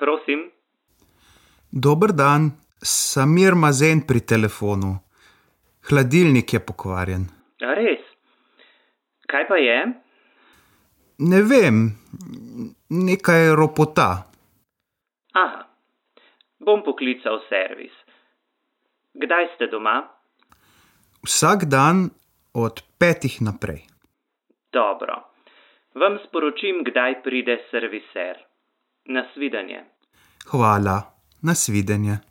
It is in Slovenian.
Prosim. Dober dan, Samir Mazen pri telefonu. Hladilnik je pokvarjen. A res? Kaj pa je? Ne vem, nekaj ropota. Aha, bom poklical servis. Kdaj ste doma? Vsak dan od 5 naprej. Dobro. Vam sporočim, kdaj pride serviser. Nasvidenje. Hvala, nasvidenje.